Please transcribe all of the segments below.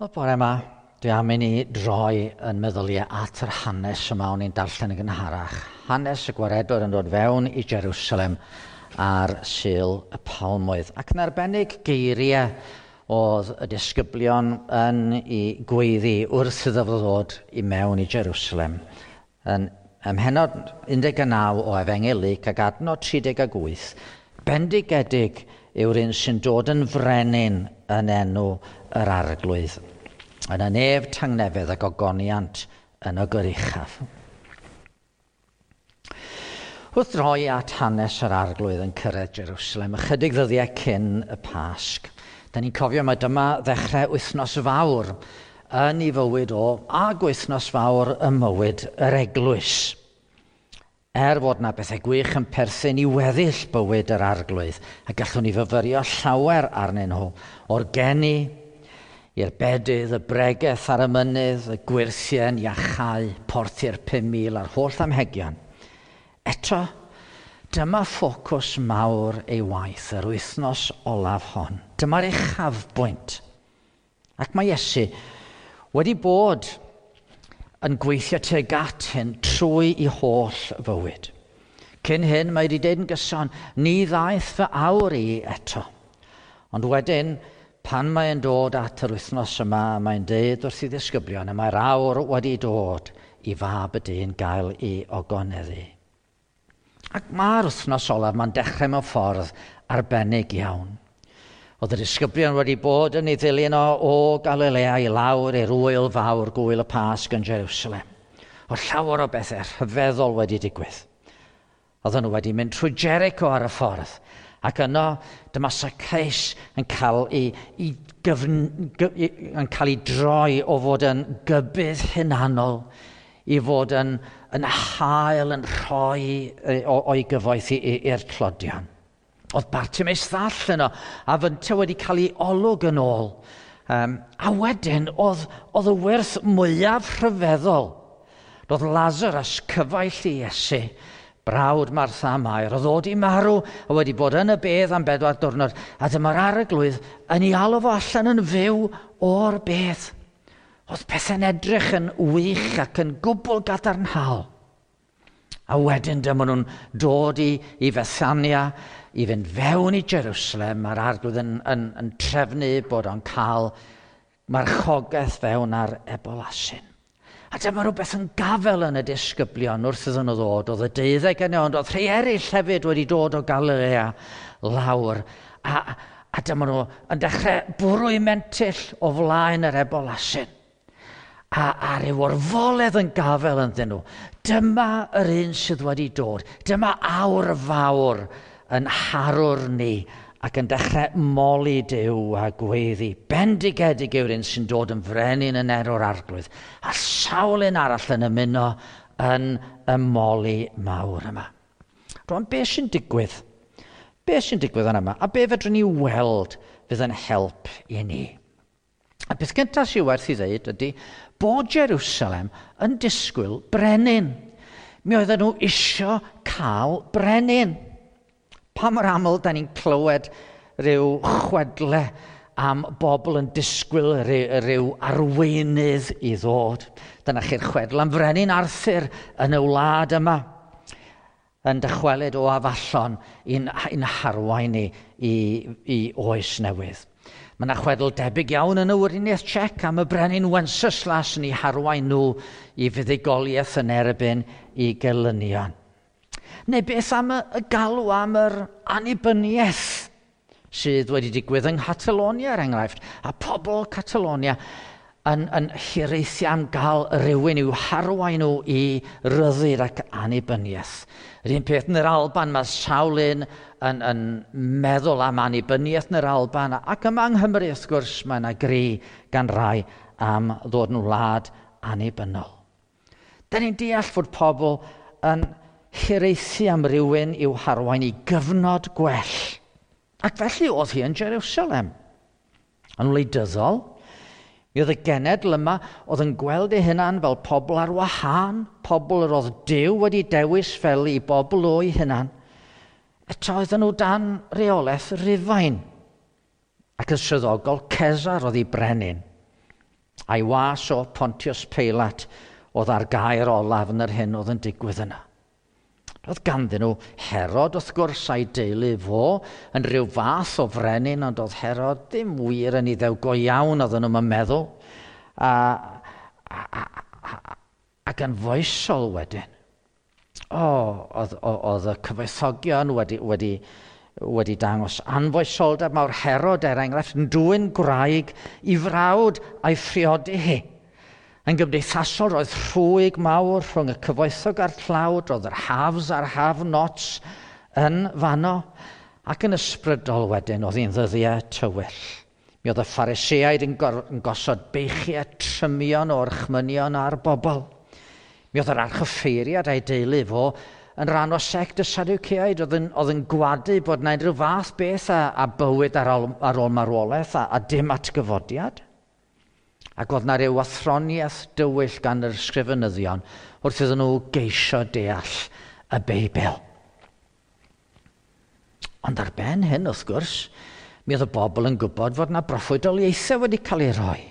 Wel, bore yma, dwi am i ni droi yn meddyliau at yr hanes yma o'n i'n darllen yn gynharach. Hanes y gwaredwr yn dod fewn i Jerusalem ar Sul y Palmwydd. Ac yn arbennig geiriau oedd y disgyblion yn ei gweiddi wrth iddo fo ddod i mewn i Jerusalem. Yn ym mhennod 19 o Efengyl Luc ac adnod 38, bendigedig yw'r un sy'n dod yn frenin yn enw yr Arglwydd, yn y nef tangnefedd ac ogoniant yn y goruchaf. Wrth droi at hanes yr Arglwydd yn cyrraedd Jerusalem ychydig ddyddiau cyn y Pasg, da ni'n cofio mai dyma ddechrau wythnos fawr yn ei fywyd o ac wythnos fawr ym mywyd yr eglwys. Er fod na bethau gwych yn perthyn i weddill bywyd yr Arglwydd, a gallwn ni fyfyrio llawer arnyn nhw, o'r geni i'r bedydd, y bregeth ar y mynydd, y gwyrthien, iachau, porthi'r 5,000 a'r holl amhegion. Eto, dyma ffocws mawr ei waith yr wythnos olaf hon. Dyma'r uchafbwynt. Ac mae Iesu wedi bod yn gweithio tuag at hyn trwy i holl fywyd. Cyn hyn, mae wedi deud yn gyson, ni ddaeth fy awr i eto. Ond wedyn, pan mae'n dod at yr wythnos yma, mae'n deud wrth i ddisgyblion, y mae'r awr wedi dod i fab y dyn gael ei ogoneddu. Ac mae'r wythnos olaf, mae'n dechrau mewn ffordd arbennig iawn. Oedd y disgyblion wedi bod yn ei ddilyn o, o Galilea i lawr i'r wyl fawr gwyl y Pasg yn Jerusalem. Oedd llawer o bethau rhyfeddol wedi digwydd. Oedden nhw wedi mynd trwy Jericho ar y ffordd. Ac yno, dyma Zacchaeus yn cael ei, i gyfn, gy, yn cael ei droi o fod yn gybydd hunanol i fod yn, yn hael yn rhoi o'i gyfoeth i'r tlodion. Oedd Bartimaeus ddall yno, a fynta wedi cael ei olwg yn ôl. A wedyn, oedd, oedd y wyrth mwyaf rhyfeddol. Roedd Lazarus, cyfaill i Iesu, brawd Martha a Mair, oedd o 'di marw a wedi bod yn y bedd am 4 diwrnod, a dyma'r Arglwydd yn ei alw fo allan yn fyw o'r bedd. Oedd pethau'n edrych yn wych ac yn gwbl gadarnhaol. A wedyn dyma nhw'n dod i, i Fethania, i fynd fewn i Jerusalem. Mae'r Arglwydd yn, yn, yn trefnu bod o'n cael marchogaeth fewn ar ebolasyn. A dyma rhywbeth yn gafel yn y disgyblion wrth iddyn nhw ddod. Oedd y 12 yno, ond oedd rhai eraill hefyd wedi dod o Galilea lawr. A, a dyma nhw yn dechrau bwrw eu mentyll o flaen yr ebolasyn. A, a ryw orfoledd yn gafel ynddyn nhw. Dyma yr un sydd wedi dod. Dyma awr fawr yn harwr ni ac yn dechrau moli Duw a gweiddi. Bendigedig yw'r un sy'n dod yn frenin yn enw'r Arglwydd. A sawl un arall yn ymuno yn y moli mawr yma. Rwan, be sy'n digwydd? Be sy'n digwydd yn yma? A be fedrwn ni weld fydd yn help i ni? A beth gyntaf sy'n werth i ddeud ydy bod Jerusalem yn disgwyl brenin. Mi oedden nhw isio cael brenin. Pa mor aml da ni'n clywed rhyw chwedle am bobl yn disgwyl rhyw, rhyw arweinydd i ddod. Dyna chi'r chwedl am frenin Arthur yn y wlad yma, yn dychwelyd o Afallon i'n, i'n harwain ni i, i oes newydd. Mae yna chwedl debyg iawn yn y Weriniaeth Czech am y brenin Wenceslas yn ei harwain nhw i fuddugoliaeth yn erbyn i gelynion. Neu beth am y, y galw am yr annibyniaeth sydd wedi digwydd yng Nghatalonia, er enghraifft, a pobl Catalonia yn, yn hiraethu am gael rhywun i'w harwain nhw i ryddid ac annibyniaeth. Yr un peth yn yr Alban, mae sawl un yn, yn meddwl am annibyniaeth yn yr Alban, ac yma yng Nghymru, wrth gwrs, mae yna gri gan rai am ddod yn wlad annibynnol. Da ni'n deall fod pobl yn hiraethu am rywun i'w harwain i gyfnod gwell. Ac felly oedd hi yn Jerusalem. Yn wleidyddol, mi oedd y genedl yma oedd yn gweld ei hunan fel pobl ar wahân, pobl yr oedd Duw wedi dewis fel i bobl o'i hunan. Eto oedden nhw dan reolaeth Rufain. Ac yn swyddogol, Cesar oedd ei brenin. A'i was o Pontius Pilate oedd ar gair olaf yn yr hyn oedd yn digwydd yna. Roedd ganddyn nhw Herod, wrth gwrs, a'i deulu fo, yn rhyw fath o frenin, ond oedd Herod ddim wir yn iddew go iawn, oedden nhw'n meddwl. A, a, a, a, ac yn foesol wedyn. O, oedd, oedd y cyfoethogion wedi, wedi, wedi dangos anfoesoldeb mawr Herod, er enghraifft, yn dwyn gwraig i frawd a'i phriodi hi. Yn gymdeithasol, roedd rhwyg mawr rhwng y cyfoethog a'r tlawd, roedd yr haves a'r have-nots yn fanno, ac yn ysbrydol wedyn oedd hi'n ddyddiau tywyll. Mi oedd y Phariseaid yn, yn gosod beichiau trymion o'r chmynion a'r bobl. Mi oedd yr archoffeiriad a'i deulu fo yn rhan o sect y Sadwceaid oedd yn, oedd yn gwadu bod yna unrhyw fath beth a, a bywyd ar ôl, ar ôl marwolaeth a, a dim atgyfodiad. Ac oedd na ryw athroniaeth dywyll gan yr ysgrifenyddion wrth iddyn nhw geisio deall y Beibl. Ond ar ben hyn, wrth gwrs, mi oedd y bobl yn gwybod fod na broffwydoliaethau wedi cael ei roi.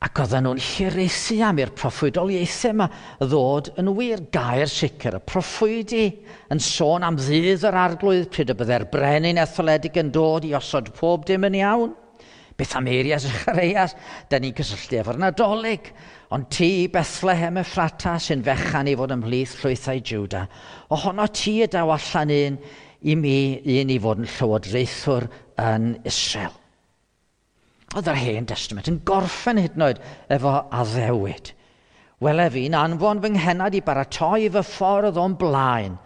Ac oedden nhw'n hiraethu am i'r proffwydoliaethau yma ddod yn wir gair sicr. Y proffwydi yn sôn am ddydd yr arglwydd pryd y byddai'r brenin etholedig yn dod i osod pob dim yn iawn. Beth am eiriau Zacharias? Da ni'n cysylltu efo'r Nadolig. Ond ti, Bethlehem Ephrata, sy'n fechan i fod ymhlith llwythau Juda, ohono ti y daw allan un i mi, un i fod yn llywodraethwr yn Israel. Oedd yr Hen Testament yn gorffen hyd yn oed efo addewid. Wele fi'n anfon fy nghenad i baratoi fy ffordd o'n blaen,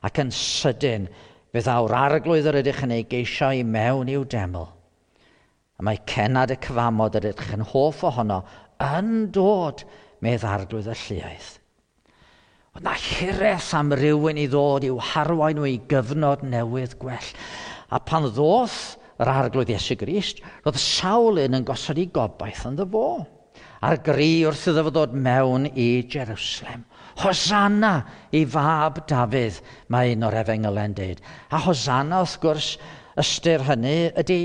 ac yn sydyn fe ddaw'r arglwydd yr ydych yn ei geisio i mewn i'w deml. A mae cenad y cyfamod yr ydych yn hoff ohono yn dod medd arglwydd y lluoedd. Oedd na hiraeth am rywun i ddod i'w harwain nhw i gyfnod newydd gwell. A pan ddoth yr arglwydd Iesu Grist, roedd sawl un yn gosod ei gobaith ynddo fo. A'r gri wrth iddo fo ddod mewn i Jerusalem. Hosanna i fab Dafydd, mae un o'r efengylau'n deud. A Hosanna, wrth gwrs, ystyr hynny ydy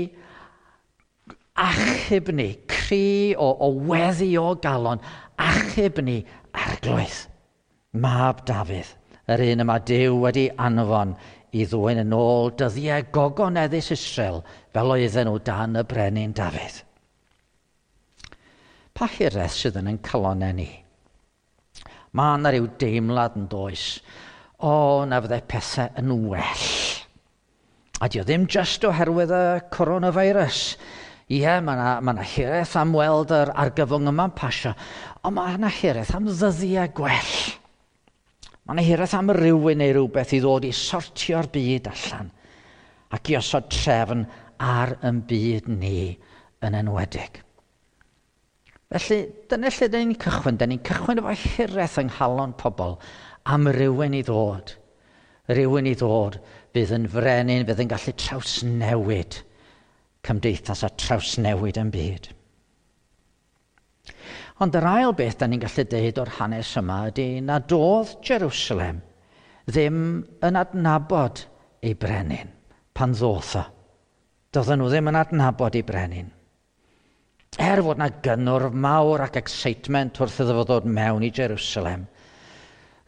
achub ni, cri o, o weddi o galon, achub ni arglwydd. Mab Dafydd, yr un yma Duw wedi anfon i ddwyn yn ôl dyddiau gogoneddus Israel fel oedden nhw dan y brenin Dafydd. Pa hiraeth sydd yn ein calonau ni? Mae yna rhyw deimlad yn does. O, na fyddai pethau yn well. A dio ddim just oherwydd y coronavirus. Ie, mae yna ma na hiraeth am weld yr argyfwng yma'n pasio, ond mae yna hiraeth am ddyddiau gwell. Mae yna hiraeth am rywun neu rhywbeth i ddod i sortio'r byd allan ac i osod trefn ar yn byd ni yn enwedig. Felly, dyna lle dyn ni'n cychwyn. Dyn ni'n cychwyn efo hiraeth yng nghalon pobl am rywun i ddod. Rywun i ddod fydd yn frenin, fydd yn gallu trawsnewid cymdeithas a trawsnewid yn byd. Ond yr ail beth da ni'n gallu deud o'r hanes yma ydy nad oedd Jerusalem ddim yn adnabod ei brenin pan ddoth o. Doedden nhw ddim yn adnabod ei brenin. Er fod na gynnwrf mawr ac excitement wrth iddo fo ddod mewn i Jerusalem,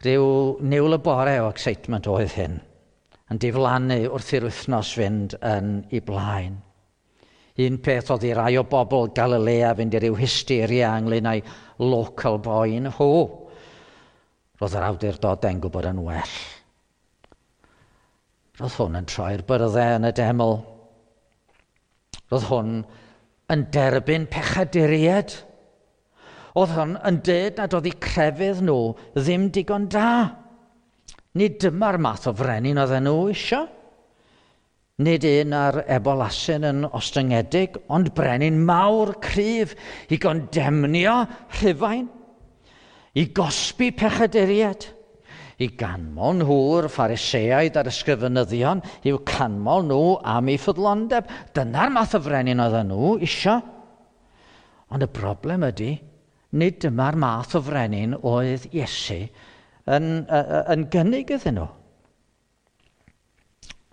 rhyw niwl y bore o excitement oedd hyn, yn diflannu wrth i'r wythnos fynd yn ei blaen. Un peth oedd i rai o bobl Galilea fynd i ryw hysteria ynglyn â'i local boy nhw. Roedd yr awdurdodau'n gwybod yn well. Roedd hwn yn troi'r byrddau yn y deml. Roedd hwn yn derbyn pechaduriaid. Oedd hwn yn dweud nad oedd eu crefydd nhw ddim digon da. Nid dyma'r math o frenin oedden nhw eisiau. Nid un ar ebolasyn yn ostyngedig, ond brenin mawr cryf i gondemnio Rhufain, i gosbi pechaduriaid, i ganmol nhw'r Phariseaid a'r ysgrifenyddion, i'w canmol nhw am eu ffyddlondeb. Dyna'r math o frenin oedden nhw isio. Ond y broblem ydy, nid dyma'r math o frenin oedd Iesu yn, yn gynnig iddyn nhw.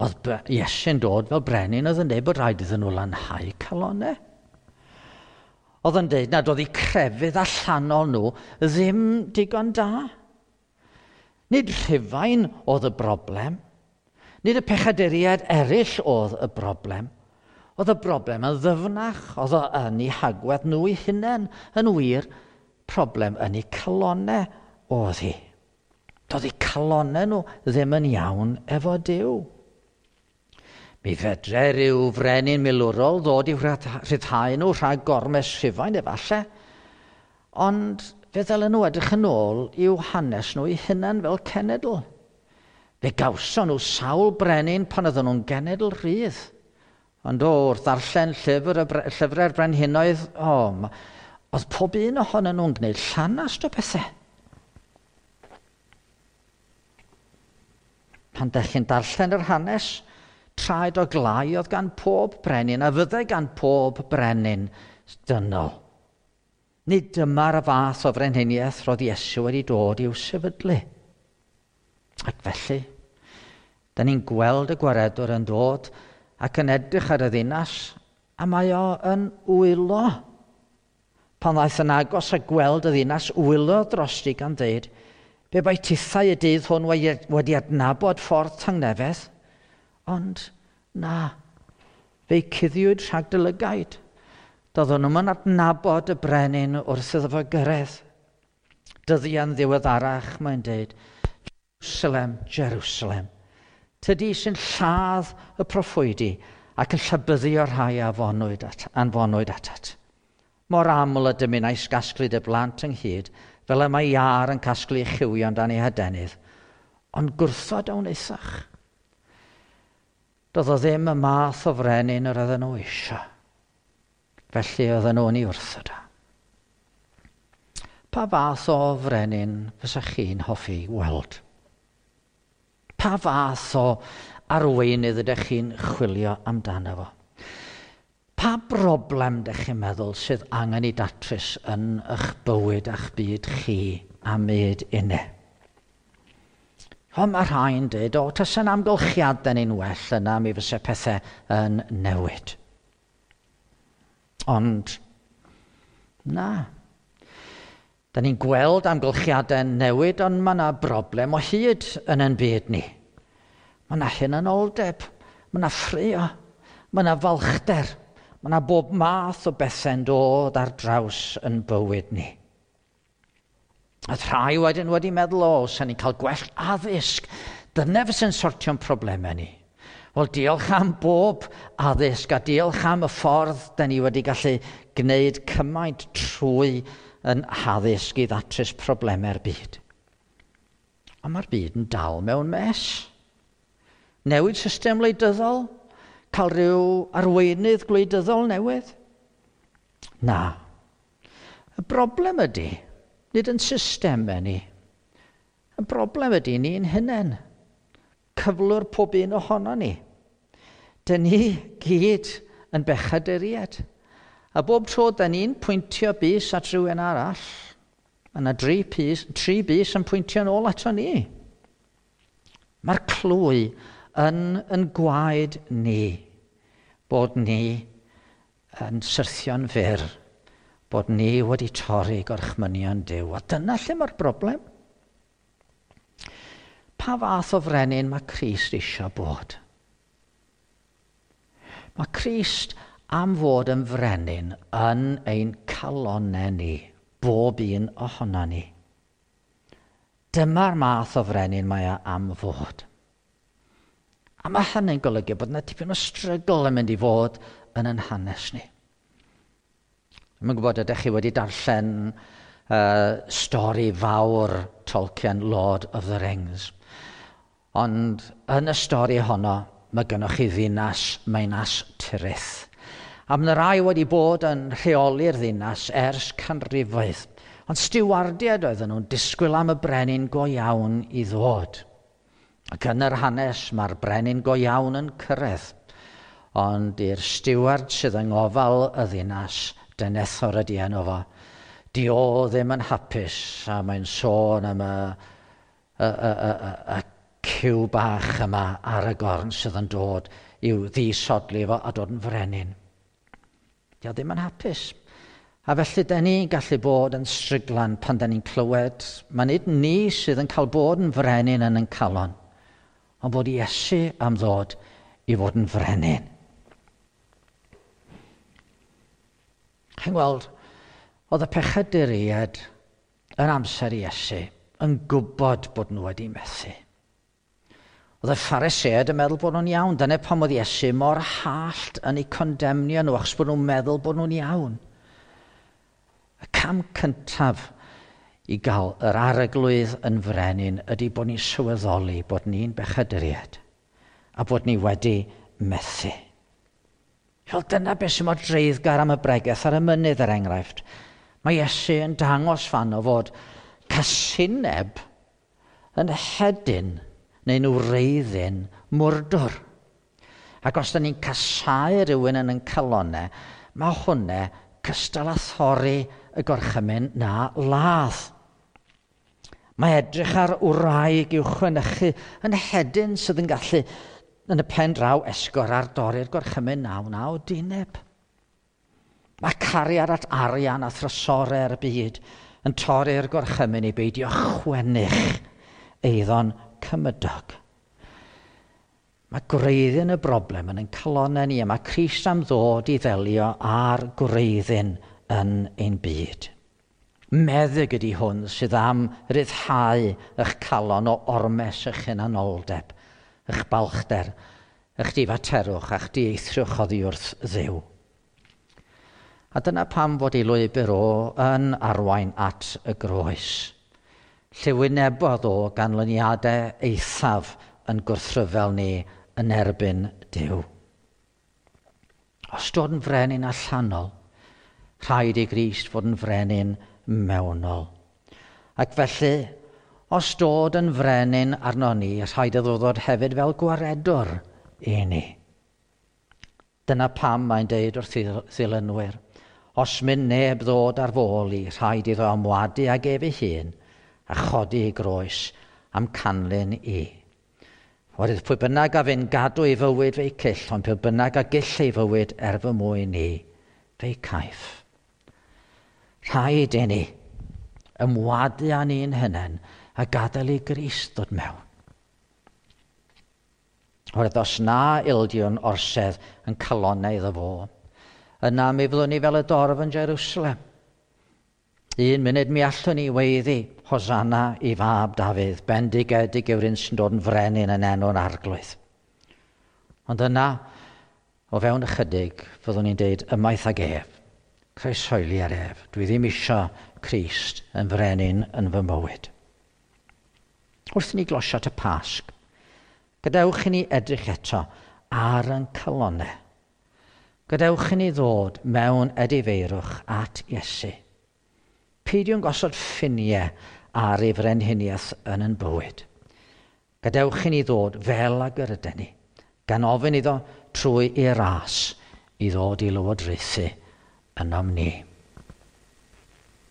Oedd Iesu'n dod fel brenin oedd yn dweud bod rhaid iddyn nhw lanhau calonau. Oedd yn dweud nad oedd eu crefydd allanol nhw ddim digon da. Nid Rhufain oedd y broblem. Nid y pechaduriaid eraill oedd y broblem. Oedd y broblem yn ddyfnach, oedd o yn eu hagwedd nhw eu hunain, yn wir, problem yn eu calonau oedd hi. Doedd eu calonau nhw ddim yn iawn efo Duw. Mi fedre rhyw frenin milwrol ddod i'w rhyddhau nhw rhag gormes Rhufain efallai, ond fe ddylen nhw edrych yn ôl i'w hanes nhw eu hunain fel cenedl. Fe gawson nhw sawl brenin pan oedden nhw'n genedl rhydd. Ond wrth ddarllen llyfrau'r brenhinoedd, oedd pob un ohonyn nhw'n gwneud llanast o bethau. Pan dech chi'n darllen yr hanes, traed o glai oedd gan pob brenin a fyddai gan pob brenin dynol. Nid dyma'r fath o frenhiniaeth roedd Iesu wedi dod i'w sefydlu. Ac felly, da ni'n gweld y gwaredwr yn dod ac yn edrych ar y ddinas, a mae o yn wylo. Pan ddaeth yn agos a gweld y ddinas, wylo drosti gan ddeud, be bai tithau y dydd hwn wedi adnabod ffordd tangnefedd? Ond na, fe'i cuddiwyd rhag dy lygaid. Doedden nhw'm yn adnabod y brenin wrth iddo fo gyrraedd. Dyddiau'n ddiweddarach, mae'n dweud, Jerusalem, Jerusalem, tydi sy'n lladd y proffwydi ac yn llybyddio rhai a anfonwyd atat. Mor aml y dymunais gasglu dy blant ynghyd, fel y mae iâr yn casglu chywion dan ei hadenydd, ond gwrthod a wnaethach. Doedd o ddim y math o frenin yr oedden nhw eisiau. Felly oedden nhw'n ei wrthod o. Pa fath o frenin fysa chi'n hoffi weld? Pa fath o arweinydd ydych chi'n chwilio amdano fo? Pa broblem ydych chi'n meddwl sydd angen ei datrys yn eich bywyd a'ch byd chi a myd inne? Ond mae rhai'n dweud, tasa'n amgylchiadau ni'n well yna, mi fysa pethau yn newid. Ond, na. Da ni'n gweld amgylchiadau'n newid, ond mae yna broblem o hyd yn ein byd ni. Mae yna hunanoldeb, mae yna ffrio, mae yna falchder, mae yna bob math o bethau'n dod ar draws yn bywyd ni. A rhai wedyn wedi meddwl, sa'n ni'n cael gwell addysg. Dyna fysa'n sortio'n problemau ni. Wel, diolch am bob addysg a diolch am y ffordd da ni wedi gallu gwneud cymaint trwy yn haddysg i ddatrys problemau'r byd. Ond mae'r byd yn dal mewn mes. Newid system wleidyddol? Cael rhyw arweinydd gwleidyddol newydd? Na. Y broblem ydy, nid yn systemau ni. Y broblem ydy ni'n hunain. Cyflwr pob un ohono ni. Dyn ni gyd yn bechaduriaid. A bob tro dyn ni'n pwyntio bys at rhywun arall, mae yna tri bys yn pwyntio'n ôl ato ni. Mae'r clwy yn gwaed ni, bod ni yn syrthio'n fyr, bod ni wedi torri gorchmynion Duw. A dyna lle mae'r broblem. Pa fath o frenin mae Crist eisiau bod? Mae Crist am fod yn frenin yn ein calonnau ni, bob un ohono ni. Dyma'r math o frenin mae o am fod. A mae hynny'n golygu bod yna tipyn o strygl yn mynd i fod yn ein hanes ni. Dwi'm yn gwybod ydych chi wedi darllen stori fawr Tolkien, Lord of the Rings. Ond yn y stori honno, mae gennych chi ddinas Minas Tirith. A mae yna rai wedi bod yn rheoli'r ddinas ers canrifoedd. Ond stiwardiaid oedden nhw'n disgwyl am y brenin go iawn i ddod. Ac yn yr hanes, mae'r brenin go iawn yn cyrraedd. Ond i'r stiward sydd yng ngofal y ddinas, Denethor ydi enw fo, di o ddim yn hapus, a mae'n sôn am y cyw bach yma ar y gorn sydd yn dod i'w ddisodli fo a dod yn frenin. Di o ddim yn hapus. A felly, da ni'n gallu bod yn stryglan pan da ni'n clywed, mae nid ni sydd yn cael bod yn frenin yn ein calon, ond bod Iesu am ddod i fod yn frenin. Chi'n gweld, oedd y pechaduriaid yn amser Iesu yn gwybod bod nhw wedi methu. Oedd y Phariseaid yn meddwl bod nhw'n iawn. Dyna pam oedd Iesu mor hallt yn eu condemnio nhw, achos bod nhw'n meddwl bod nhw'n iawn. Y cam cyntaf i gael yr Arglwydd yn frenin ydy bod ni'n sylweddoli bod ni'n bechaduriaid a bod ni wedi methu. Fel dyna beth sy'n mor dreiddgar am y bregeth ar y mynydd, er enghraifft. Mae Iesu yn dangos fan o fod casineb yn hedyn neu'n wreiddyn mwrdwr. Ac os da ni'n casáu rhywun yn ein calonau, mae hwnna cystal â thorri y gorchymyn na ladd. Mae edrych ar wraig i'w chwenychu yn hedyn sydd yn gallu yn y pen draw esgor ar dorri'r gorchymyn na wna odineb. Mae cariad at arian a thrysorau ar y byd yn torri'r gorchymyn i beidio chwennych eiddo'n cymydog. Mae gwreiddyn y broblem yn ein calonnau ni, a mae Crist am ddod i ddelio â'r gwreiddyn yn ein byd. Meddyg ydy hwn sydd am ryddhau eich calon o ormes eich hunanoldeb, eich balchder, eich difaterwch a'ch dieithrwch oddi wrth Dduw. A dyna pam fod ei lwybr o yn arwain at y groes. Lle wynebodd o ganlyniadau eithaf yn gwrthryfel ni yn erbyn Duw. Os dod yn frenin allanol, rhaid i Grist fod yn frenin mewnol. Ac felly, os dod yn frenin arno ni, rhaid iddo ddod hefyd fel gwaredwr i ni. Dyna pam mae'n deud wrth ddilynwyr, os mynd neb ddod ar fôl i, rhaid iddo ymwadu ag ef ei hun a chodi ei groes am canlyn i. Oherwydd pwy bynnag a fyn gadw ei fywyd fe'i cyll, ond pwy bynnag a gyll ei fywyd er fy mwyn i, fe'i caiff. Rhaid i ni ymwadu â ni'n hunain a gadael i Grist ddod mewn. Oherwydd os na ildiwn orsedd yn calonnau iddo fo, yna mi fyddwn ni fel y dorf yn Jerusalem. Un munud mi allwn ni weiddi Hosanna i fab Dafydd, bendigedig yw'r un sy'n dod yn frenin yn enw'r Arglwydd. Ond yna, o fewn ychydig, fyddwn ni'n deud ymaith ag ef, croeshoeli ar ef. Dwi ddim isio Crist yn frenin yn fy mywyd. Wrth i ni glosio at y Pasg, gadewch i ni edrych eto ar ein calonnau. Gadewch i ni ddod mewn edifeirwch at Iesu. Peidiwn gosod ffiniau ar ei frenhiniaeth yn ein bywyd. Gadewch i ni ddod fel ag yr ydyn ni, gan ofyn iddo trwy ei ras i ddod i lywodraethu ynom ni.